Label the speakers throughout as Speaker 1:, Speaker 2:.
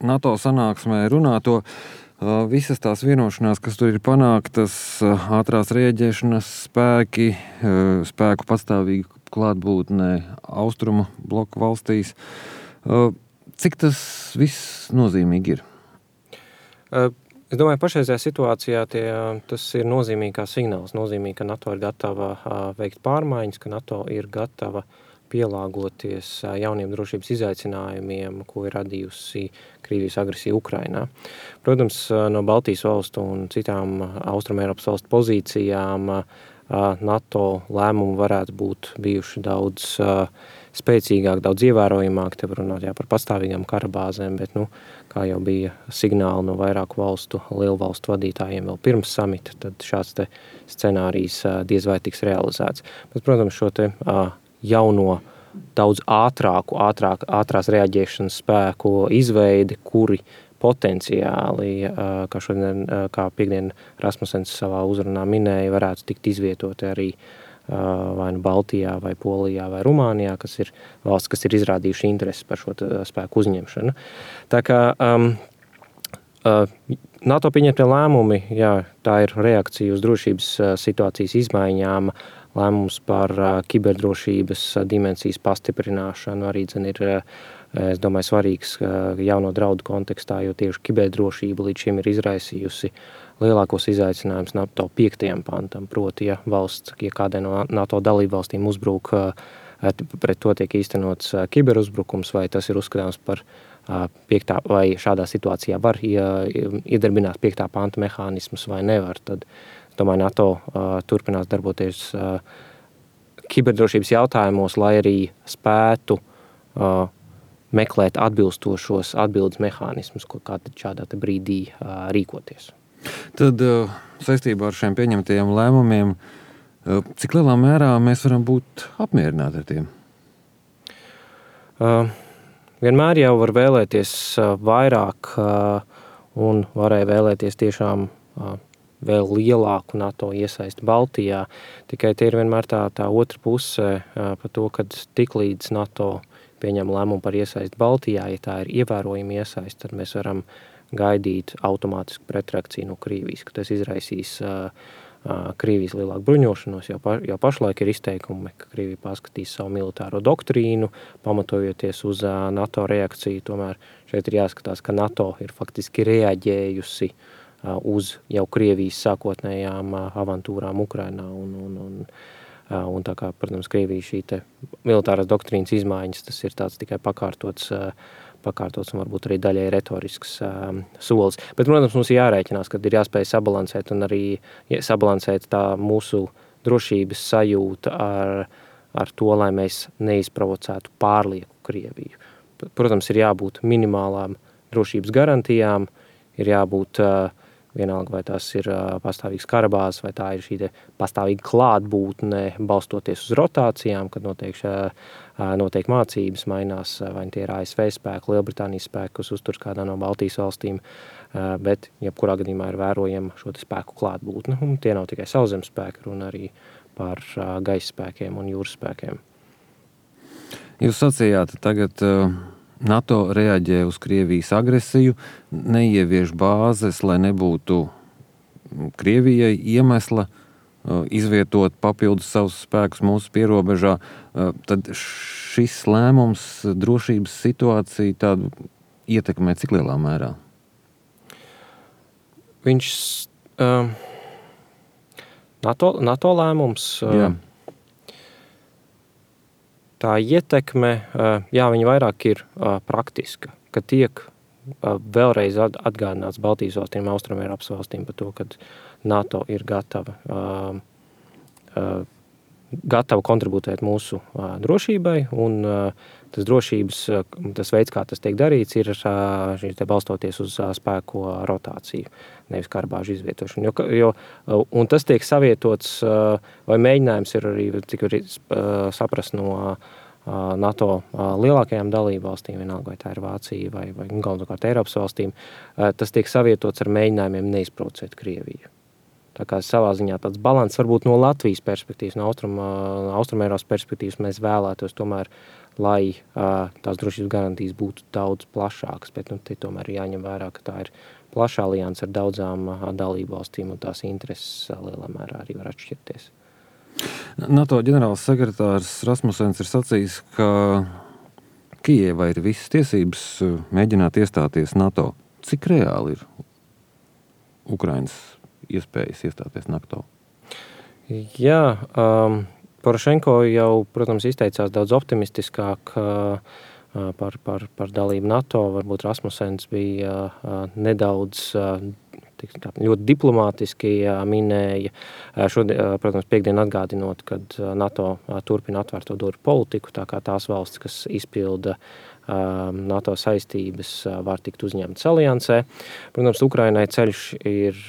Speaker 1: NATO sanāksmē runāto, visas tās vienošanās, kas tur ir panāktas, ātrās rēģēšanas spēki, spēku pastāvīga klātbūtnē austrumu bloku valstīs. Cik tas viss nozīmīgi ir?
Speaker 2: Es domāju, pašreizajā situācijā tas ir nozīmīgā signāls. Nozīmīgi, ka NATO ir gatava veikt pārmaiņas, ka NATO ir gatava pielāgoties jauniem drošības izaicinājumiem, ko ir radījusi Krievijas agresija Ukrainā. Protams, no Baltijas valstu un citām Austrumeiropas valstu pozīcijām NATO lēmumi varētu būt bijuši daudz spēcīgāk, daudz ievērojamāk. Te var runāt par pastāvīgām karabāzēm, bet, kā jau bija signāli no vairāku valstu, lielu valstu vadītājiem vēl pirms samita, tad šāds te scenārijs diez vai tiks realizēts. Bet, protams, šo te jauno, daudz ātrās reaģēšanas spēku izveidi, kuri potenciāli, kā šodien, kā piekdien Rasmussens savā uzrunā minēja, varētu tikt izvietoti arī vai nu Baltijā, vai Polijā, vai Rumānijā, kas ir valsts, kas ir izrādījuši interesi par šo spēku uzņemšanu. Tā kā NATO pieņemtie lēmumi, tā ir reakcija uz drošības situācijas izmaiņām, lēmums par kiberdrošības dimensijas pastiprināšanu arī ir, es domāju, svarīgs jauno draudu kontekstā, jo tieši kiberdrošība līdz šim ir izraisījusi lielākos izaicinājumus NATO 5. pantam, proti, ja kādai no NATO dalībvalstīm uzbruk, pret to tiek īstenots kiberuzbrukums, vai tas ir uzskatāms par 5. vai šādā situācijā var iedarbināt 5. panta mehānismus vai nevar, tad, es domāju, NATO turpinās darboties kiberdrošības jautājumos, lai arī spētu meklēt atbilstošos atbildes mehānismus, kā šādā brīdī rīkoties.
Speaker 1: Tad saistībā ar šiem pieņemtajiem lēmumiem, cik lielā mērā mēs varam būt apmierināti ar tiem?
Speaker 2: Vienmēr jau var vēlēties vairāk un varēja vēlēties tiešām vēl lielāku NATO iesaisti Baltijā. Tikai tie ir vienmēr tā otra puse par to, kad tiklīdz NATO pieņem lēmumu par iesaisti Baltijā, ja tā ir ievērojama iesaisti, tad mēs varam gaidīt automātisku pretreakciju no Krievijas, ka tas izraisīs Krievijas lielāku bruņošanos, jo pašlaik ir izteikumi, ka Krievija paskatīs savu militāro doktrīnu, pamatojoties uz NATO reakciju. Tomēr šeit ir jāskatās, ka NATO ir faktiski reaģējusi uz jau Krievijas sākotnējām avantūrām Ukrainā un tā kā, protams, Krievija šī te militārās doktrīnas izmaiņas, tas ir tāds tikai pakārtots un varbūt arī daļai retorisks solis. Bet, protams, mums ir jārēķinās, kad ir jāspēj sabalansēt un arī sabalansēt tā mūsu drošības sajūta ar to, lai mēs neizprovocētu pārlieku Krieviju. Protams, ir jābūt minimālām drošības garantijām, ir jābūt vienalga, vai tās ir pastāvīgs karabāzes, vai tā ir šī pastāvīga klātbūtne, balstoties uz rotācijām, kad notiek mācības, mainās, vai tie ir ASV spēki, Lielbritānijas spēki, kas uzturs kādā no Baltijas valstīm, bet jebkurā gadījumā ir vērojama šo spēku klātbūtne. Un tie nav tikai sauszemes spēki, runa arī par gaisa spēkiem un jūras spēkiem.
Speaker 1: Jūs sacījāt, tagad NATO reaģē uz Krievijas agresiju, neievieš bāzes, lai nebūtu Krievijai iemesla izvietot papildus savus spēkus mūsu pierobežā. Tad šis lēmums drošības situāciju tādu ietekmē cik lielā mērā?
Speaker 2: Viņš NATO lēmums...
Speaker 1: Jā.
Speaker 2: Tā ietekme, viņa vairāk ir praktiska, ka tiek vēlreiz atgādināts Baltijas valstīm, Austrumeiropas valstīm par to, ka NATO ir gatava kontributēt mūsu drošībai, un tas veids, kā tas tiek darīts, ir balstoties uz spēku rotāciju, nevis karabāžu izvietošanu. Un tas tiek savietots, vai mēģinājums ir arī, cik var saprast no NATO lielākajām dalībvalstīm, vienalga, vai tā ir Vācija vai galvenokārt Eiropas valstīm, tas tiek savietots ar mēģinājumiem neizprovocēt Krieviju. Tā kā savā ziņā tāds balans varbūt no Latvijas perspektīvas, no Austrumeiropas perspektīvas mēs vēlētos tomēr, lai tās drošības garantijas būtu daudz plašākas, bet te tomēr ir jāņem vērā, ka tā ir plaša alianse ar daudzām dalību valstīm, un tās intereses lielā mērā arī var atšķirties.
Speaker 1: NATO ģenerāls sekretārs Rasmussens ir sacījis, ka Kijevai ir visas tiesības mēģināt iestāties NATO. Cik reāli ir Ukrainas iespējas iestāties NATO?
Speaker 2: Jā, Porošenko jau, protams, izteicās daudz optimistiskāk par dalību NATO. Varbūt Rasmussens bija nedaudz ļoti diplomātiski minēja. Protams, piekdien atgādinot, kad NATO turpina atvērto durvju politiku, tā kā tās valstis, kas izpilda NATO saistības, var tikt uzņemtas aliansē. Protams, Ukrainai ceļš ir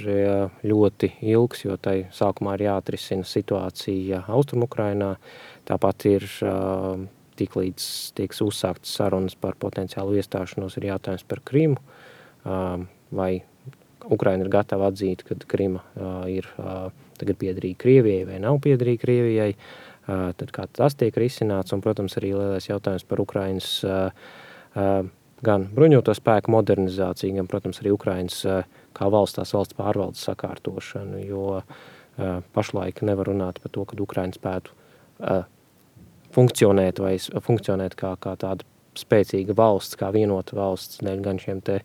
Speaker 2: ļoti ilgs, jo tai sākumā ir jāatrisina situācija Austrumu-Ukrainā. Tāpat ir tiklīdz tieks uzsāktas sarunas par potenciālu iestāšanos, ir jautājums par Krimu. Vai Ukraina ir gatava atzīt, ka Krima ir tagad piederīga Krievijai vai nav piederīga Krievijai. Tad kā tas tiek risināts, un, protams, arī lielais jautājums par Ukrainas gan bruņoto spēku modernizāciju, gan, protams, arī Ukrainas kā valsts pārvaldes sakārtošanu, jo pašlaik nevar runāt par to, ka Ukraina spētu funkcionēt kā tāda spēcīga valsts, kā vienota valsts, dēļ gan šiem te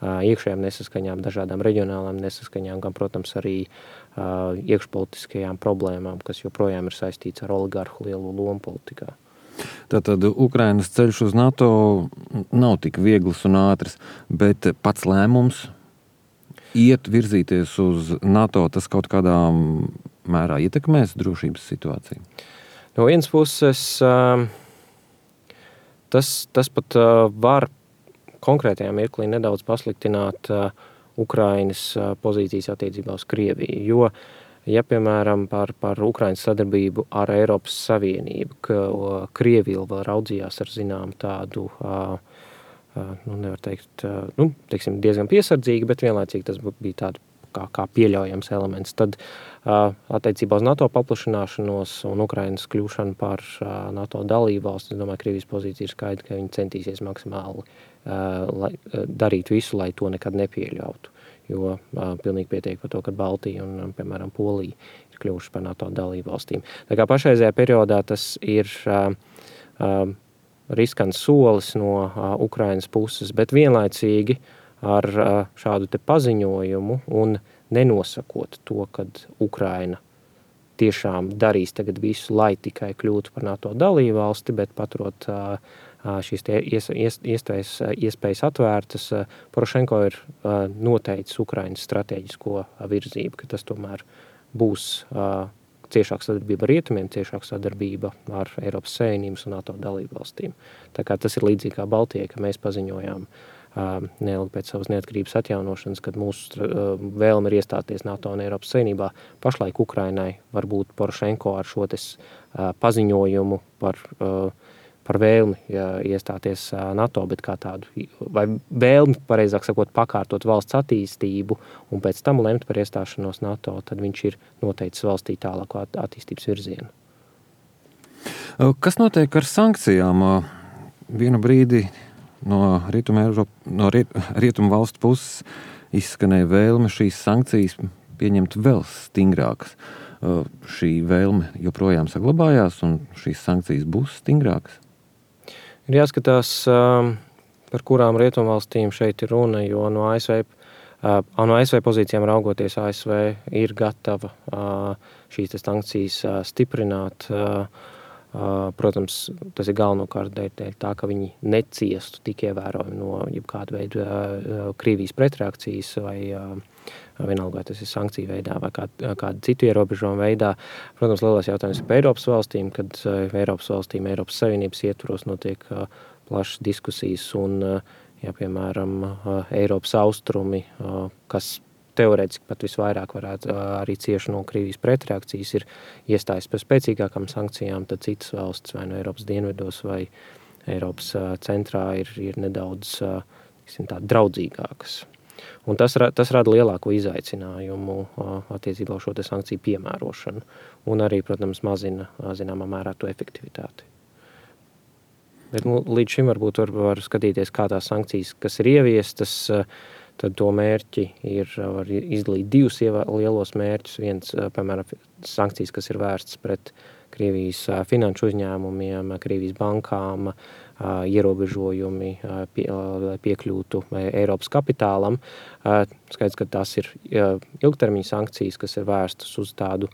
Speaker 2: iekšējām nesaskaņām, dažādām reģionālām nesaskaņām, gan, protams, arī iekšpolitiskajām problēmām, kas joprojām ir saistīts ar oligarhu lielu lomu politikā.
Speaker 1: Tātad Ukrainas ceļš uz NATO nav tik viegls un ātrs, bet pats lēmums virzīties uz NATO, tas kaut kādā mērā ietekmēs drošības situāciju?
Speaker 2: No vienas puses, tas pat var konkrētajā mirklī nedaudz pasliktināt Ukrainas pozīcijas attiecībā uz Krieviju, jo, ja, piemēram, par Ukrainas sadarbību ar Eiropas Savienību, ka Krievija vēl raudzījās ar zinām tādu, nevar teikt, teiksim, diezgan piesardzīgi, bet vienlaicīgi tas bija tāda kā pieļaujams elements, tad attiecībā uz NATO paplašināšanos un Ukrainas kļūšanu par NATO dalību valsti, es domāju, Krievijas pozīcija ir skaidra, ka viņi centīsies maksimāli darīt visu, lai to nekad nepieļautu, jo pilnīgi pietiek par to, ka Baltija un, piemēram, Polija ir kļuvuši par NATO dalību valstīm. Tā kā pašreizējā periodā tas ir riskants solis no Ukrainas puses, bet vienlaicīgi ar šādu te paziņojumu un nenosakot to, kad Ukraina tiešām darīs tagad visu, lai tikai kļūtu par NATO dalību valsti, bet paturot šīs iespējas atvērtas, Porošenko ir noteicis Ukrainas stratēģisko virzību, ka tas tomēr būs ciešāka sadarbība ar rietumiem, ciešāka sadarbība ar Eiropas Savienības un NATO dalību valstīm. Tā kā tas ir līdzīgi kā Baltijai, ka mēs paziņojām neilgi pēc savas neatkarības atjaunošanas, kad mūsu vēlme ir iestāties NATO un Eiropas Savienībā. Pašlaik Ukrainai varbūt Porošenko ar šo paziņojumu par vēlmi iestāties NATO, bet kā tādu, vai vēlmi, pareizāk sakot, pakārtot valsts attīstību un pēc tam lemt par iestāšanos NATO, tad viņš ir noteicis valstī tālāko attīstības virzienu.
Speaker 1: Kas notiek ar sankcijām? Vienu brīdi no rietumu valstu puses izskanēja vēlme šīs sankcijas pieņemt vēl stingrākas. Šī vēlme joprojām saglabājās un šīs sankcijas būs stingrākas?
Speaker 2: Ir jāskatās, par kurām rietumvalstīm šeit ir runa, jo no ASV pozīcijām raugoties, ASV ir gatava šīs sankcijas stiprināt. Protams, tas ir galvenokārt dēļ tā, ka viņi neciestu tik ievērojami no jebkāda veida Krievijas pretreakcijas vai vienalga, vai tas ir sankciju veidā vai kāda citu ierobežojumu veidā. Protams, lielais jautājums ir par Eiropas valstīm, kad Eiropas Savienības ietvaros notiek plašas diskusijas un, ja, piemēram, Eiropas austrumi, kas teorētiski pat visvairāk varētu arī cieši no Krievijas pretreakcijas, ir iestājas par spēcīgākām sankcijām, tad citas valstis vai no Eiropas dienvidos vai Eiropas centrā ir nedaudz draudzīgākas. Un tas rada lielāko izaicinājumu attiecībā uz šo sankciju piemērošanu un arī, protams, mazina zināmā mērā to efektivitāti. Bet līdz šim varbūt var skatīties, kā tās sankcijas, kas ir ieviestas, tad to mērķi var izdalīt divus lielos mērķus. Viens, piemēram, sankcijas, kas ir vērsts pret Krievijas finanšu uzņēmumiem, Krievijas bankām, ierobežojumi, lai piekļūtu Eiropas kapitālam. Skaidrs, ka tās ir ilgtermiņa sankcijas, kas ir vērstas uz tādu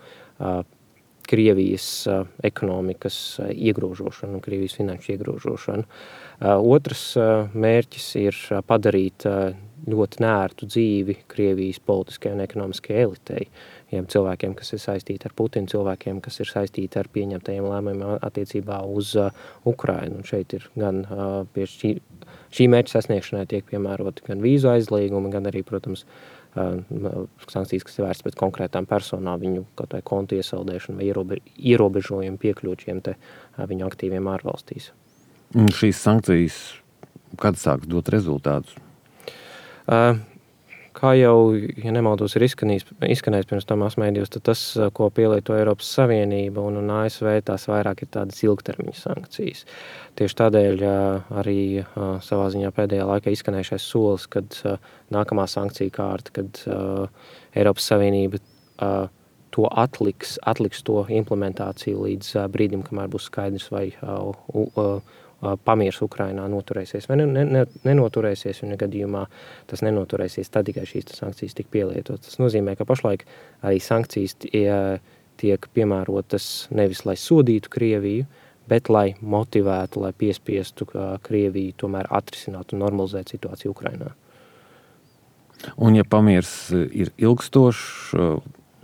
Speaker 2: Krievijas ekonomikas iegrožošanu un Krievijas finanšu iegrožošanu. Otrs mērķis ir padarīt ļoti nērtu dzīvi Krievijas politiskajai un ekonomiskajai elitei. Cilvēkiem, kas ir saistīti ar Putinu, cilvēkiem, kas ir saistīti ar pieņemtajiem lēmumiem attiecībā uz Ukrainu. Un šeit ir gan pie šī mērķa sasniegšanai tiek piemēroti gan vīzu aizliegumi, gan arī, protams, sankcijas, kas ir vērsts pret konkrētām personām, viņu kaut vai kontu iesaldēšanu vai ierobežojumu piekļūt šiem te viņu aktīviem ārvalstīs.
Speaker 1: Šīs sankcijas, kad sāks dot rezultātus?
Speaker 2: Kā jau, ja nemaldos, ir izskanējis pirms tam masmēdījos, tad tas, ko pielieto Eiropas Savienība un ASV, tās vairāk ir tādas ilgtermiņa sankcijas. Tieši tādēļ arī savā ziņā pēdējā laikā izskanējušais solis, kad nākamā sankcija kārta, kad Eiropas Savienība to atliks to implementāciju līdz brīdim, kamēr būs skaidrs, vai pamiers Ukrainā noturēsies vai nenoturēsies, un gadījumā tas nenoturēsies, tad tikai šīs sankcijas tik pielietotas. Tas nozīmē, ka pašlaik arī sankcijas tiek piemērotas nevis, lai sodītu Krieviju, bet lai motivētu, lai piespiestu Krieviju tomēr atrisināt un normalizēt situāciju Ukrainā.
Speaker 1: Un ja pamiers ir ilgstošs,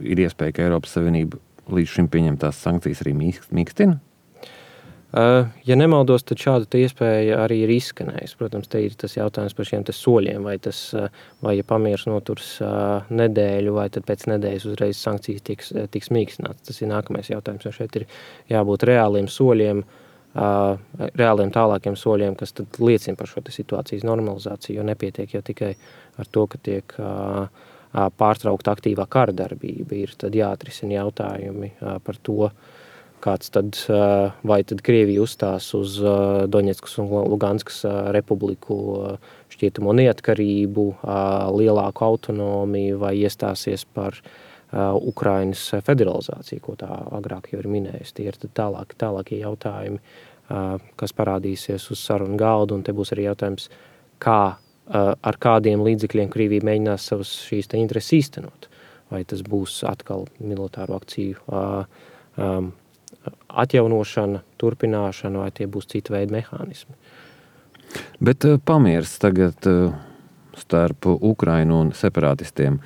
Speaker 1: ir iespēja, ka Eiropas Savienība līdz šim pieņemtās sankcijas arī mīkstina?
Speaker 2: Ja nemaldos, tad šāda iespēja arī ir izskanējusi. Protams, te ir tas jautājums par šiem soļiem, vai ja pamiers noturs nedēļu, vai tad pēc nedēļas uzreiz sankcijas tiks mīkstināts. Tas ir nākamais jautājums, jo šeit ir jābūt reāliem soļiem, reāliem tālākiem soļiem, kas tad liecina par šo situācijas normalizāciju, jo nepietiek jau tikai ar to, ka tiek pārtraukta aktīvā kara darbība. Ir tad jāatrisina jautājumi par to, kāds tad, vai tad Krievija uzstās uz Doņetskas un Luganskas republiku šķietamo neatkarību, lielāku autonomiju, vai iestāsies par Ukrainas federalizāciju, ko tā agrāk jau ir minējusi. Tie ir tālākie jautājumi, kas parādīsies uz sarunu galdu, un te būs arī jautājums, ar kādiem līdzekļiem Krievija mēģinās savas šīs intereses īstenot. Vai tas būs atkal militāru akciju atjaunošana, turpināšana, vai tie būs cita veida mehānismi.
Speaker 1: Bet pamiers tagad starp Ukrainu un separatistiem,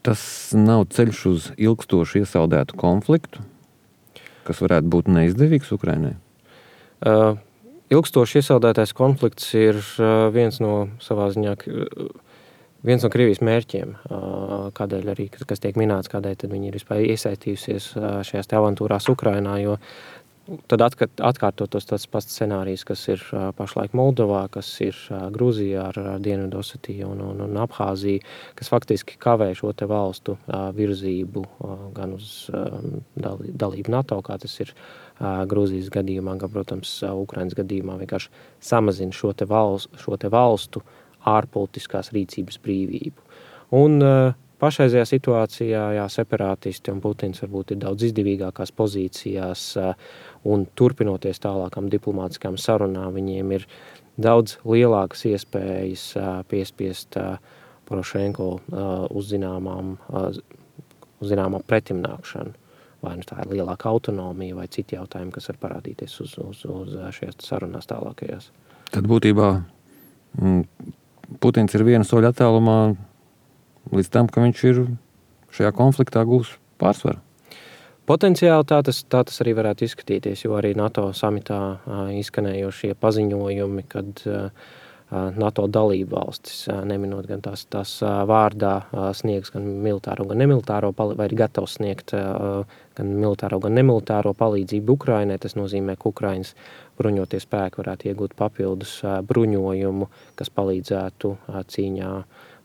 Speaker 1: tas nav ceļš uz ilgstošu iesaldētu konfliktu, kas varētu būt neizdevīgs Ukrainai?
Speaker 2: Ilgstoši iesaldētais konflikts ir viens no Krievijas mērķiem, kādēļ arī, kas tiek minēts, kādēļ tad viņi ir vispār iesaistījusies šajās avantūrās Ukrainā, jo tad atkārtotos tas pats scenārijs, kas ir pašlaik Moldovā, kas ir Grūzijā ar Dienvidosetiju un Abhāziju, kas faktiski kavē šo te valstu virzību gan uz dalību NATO, kā tas ir Grūzijas gadījumā, gan, protams, Ukrainas gadījumā vienkārši samazina šo te valstu ārpolitiskās rīcības brīvību. Un pašreizajā situācijā, separātisti un Putins varbūt ir daudz izdevīgākās pozīcijās, un turpinoties tālākām diplomātiskām sarunām, viņiem ir daudz lielākas iespējas piespiest Porošenko uz zināmām pretimnākšanu. Vai nu tā ir lielāka autonomija vai citi jautājumi, kas var parādīties uz šajās sarunās tālākajās.
Speaker 1: Tad būtībā Putins ir viena soļa attālumā līdz tam, ka viņš ir šajā konfliktā gūs pārsvaru.
Speaker 2: Potenciāli tā tas arī varētu izskatīties, jo arī NATO samitā izskanējošie paziņojumi, kad NATO dalību valstis, neminot gan tās vārdā, sniegs gan militāro, gan nemilitāro palīdzību, vai ir gatavs sniegt gan militāro, gan nemilitāro palīdzību Ukrainai. Tas nozīmē, ka Ukrainas bruņotie spēki varētu iegūt papildus bruņojumu, kas palīdzētu cīņā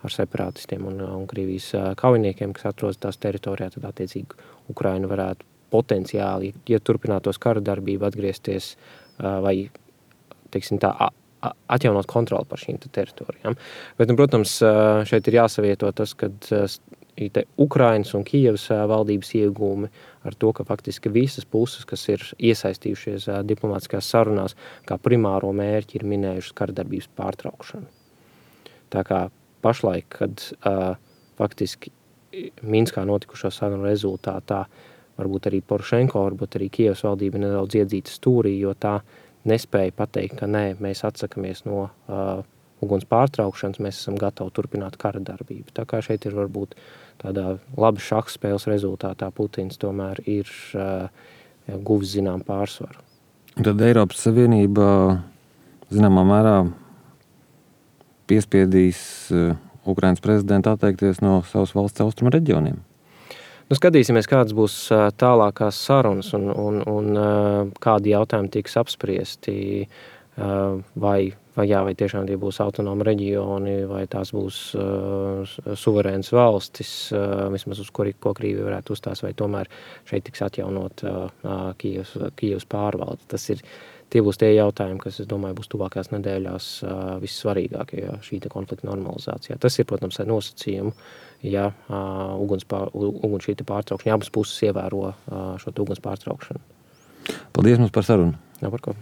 Speaker 2: ar separatistiem un Krievijas kaujiniekiem, kas atrodas tās teritorijā. Tad attiecīgi Ukraina varētu potenciāli, ja turpinātos kara darbība, atgriezties vai teiksim tā, atjaunot kontroli par šīm teritorijām. Bet, protams, šeit ir jāsavieto tas, kad Ukrainas un Kijevas valdības iegūmi ar to, ka faktiski visas puses, kas ir iesaistījušies diplomātiskās sarunās, kā primāro mērķi ir minējušas karadarbības pārtraukšanu. Tā kā pašlaik, kad faktiski Minskā notikušo sarunu rezultātā varbūt arī Porošenko, varbūt arī Kijevas valdība nedaudz iedzīta stūrī, jo tā nespēja pateikt, ka nē, mēs atsakamies no uguns pārtraukšanas, mēs esam gatavi turpināt kara darbību. Tā kā šeit ir varbūt tādā laba šaha spēles rezultātā Putins tomēr ir guvis zinām pārsvaru.
Speaker 1: Tad Eiropas Savienība zināmā mērā piespiedīs Ukrainas prezidentu atteikties no savas valsts austrumu reģioniem.
Speaker 2: Skatīsimies, kādas būs tālākās sarunas un kādi jautājumi tiks apspriesti, vai tiešām tie būs autonomi reģioni, vai tās būs suverēnas valstis, vismaz uz ko Krievija varētu uzstās, vai tomēr šeit tiks atjaunot Kijevas pārvalde. Tie būs tie jautājumi, kas, es domāju, būs tuvākās nedēļās vissvarīgākie šī konflikta normalizācijā. Tas ir, protams, ar nosacījumu, ja uguns šī pārtraukšana, abas puses ievēro šo uguns pārtraukšanu.
Speaker 1: Paldies mums par sarunu.
Speaker 2: Jā, par ko.